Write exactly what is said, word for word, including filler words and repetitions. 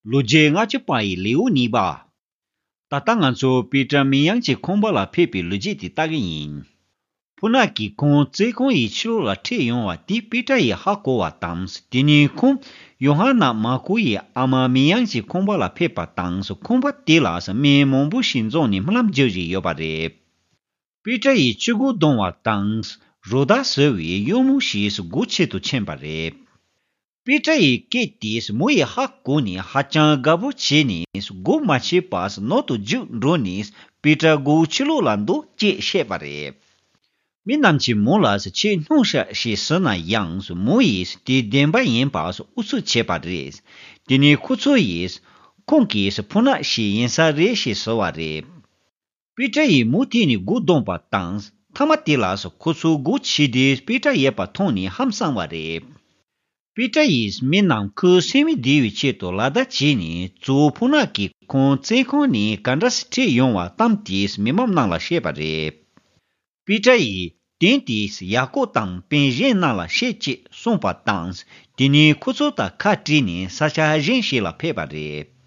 ལོ་རྒྱུས་ལྔ་བཅུ་པ་ཡི་ལེའུ་གཉིས་པ། ད་ལྟ་ང་ཚོ་པེ་ཏྲ་མི་ཡང་གི་ཁང་པ་ལ་ཕེབས་པའི་ལོ་རྒྱུས་དེ་ལྟ་གི་ཡིན། ཕུ་ནག་གིས་ཁོང་བཙོན་ཁང་ཡི་ཕྱི་ལོགས་ལ་ཁྲིད་ཡོང་བ་དེ་པེ་ཏྲ་ཡིས་ཧ་གོ་བ་དང་། དེ་ནས་ཁོང་ཡོ་ཧ་ནན་མར་ཀོ་ཡི་ཨ་མ་མི་ཡང་གི་ཁང་པ་ལ་ཕེབས་པ་དང་། ཁང་པ་དེ་ལ་མི་མང་པོ་ཞིག་འཛོམས་ནས་སྨོན་ལམ་རྒྱག་བཞིན་ཡོད་པ་རེད། པེ་ཏྲ་ཡིས་ཕྱི་སྒོ་བརྡུང་བ་དང་། རོ་བདག་ཟེར་བའི་གཡོག་མོ་ཞིག་སྒོ་ཕྱེ་དུ་ཕྱིན་པ་རེད། པེ་ཏྲ་ཡི་སྐད་དེ་མོ་ཡིས་ཧ་གོ་ནས་ཧ་ཅང་དགའ་པོ་བྱས་ནས་སྒོ་མ་ཕྱེ་བར་ནང་དུ་རྒྱུགས་འགྲོ་ནས། པེ་ཏྲ་སྒོའི་ཕྱི་ལོགས་ལ་འདུག་ཅེས་བཤད་པ་རེད། མི་རྣམས་ཀྱིས་མོ་ལ་ཆེས་སྣང་ཤག་ཞེས་ཟེར་ན་ཡང་། མོ་ཡིས་དེ་བདེན་པ་ཡིན་པར་ཨུ་ཚུགས་བྱས་པ་རེད། དེ་ནས་ཁོ་ཚོ་ཡིས་ཁོང་གིས་ཕུ་ནག་ཞིག་ཡིན་ས་རེད་ཞེས་ཟེར་བ་རེད། པེ་ཏྲ་ཡིས་མུ་མཐུད་ནས་སྒོ་བརྡུངས་པ་དང་། མཐའ་མ་དེ་ལ་ཁོ་ཚོ་སྒོ་ཕྱེ་དུས་པེ་ཏྲ་ཡོད་པ་མཐོང་ནས་ཧང་སངས་པ་རེད། པེ་ཏྲ་ཡིས་མི་རྣམས་ཁོའི་སེམས་མི་བདེ་བའི་ཆེད་དུ་ལག་བརྡ་བྱས་ནས། གཙོ་བོ་ཕུ་ནག་གིས་ཁོང་བཙོན་ཁང་ནས་ག་འདྲ་སེ་ཁྲིད་ཡོང་བ་གཏམ་དེ་མི་མང་རྣམས་ལ་བཤད་པ་རེད། པེ་ཏྲ་ཡིས་དོན་དེ་ཡ་ཀོབ་དང་སྤུན་གཞན་རྣམས་ལ་བཤད་ཅེས་གསུངས་པ་དང་། དེ་ནས་ཁོ་ཚོ་དང་ཁ་བྲལ་ནས་ས་ཆ་གཞན་ཞིག་ལ་ཕེབས་པ་རེད།